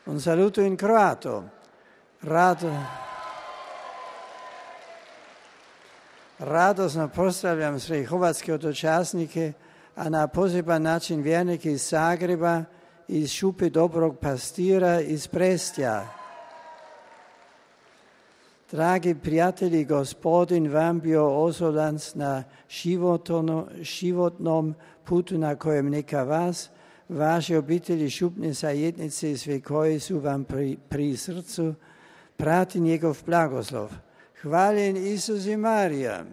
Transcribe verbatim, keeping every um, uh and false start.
Un saluto in croato. Rado, radosno pozdravljam sve hrvatske otočasnike, a na poseban način vjernike iz Zagreba, iz Šupe Dobrog Pastira, iz Prestja. Dragi prijatelji, Gospodin vam bio ozolans na životnom putu na kojem neka vas, vaše obitelji, šupne zajednice i sve koji su vam pri, pri srcu, prati njegov blagoslov. Hvaljen Isus i Marija.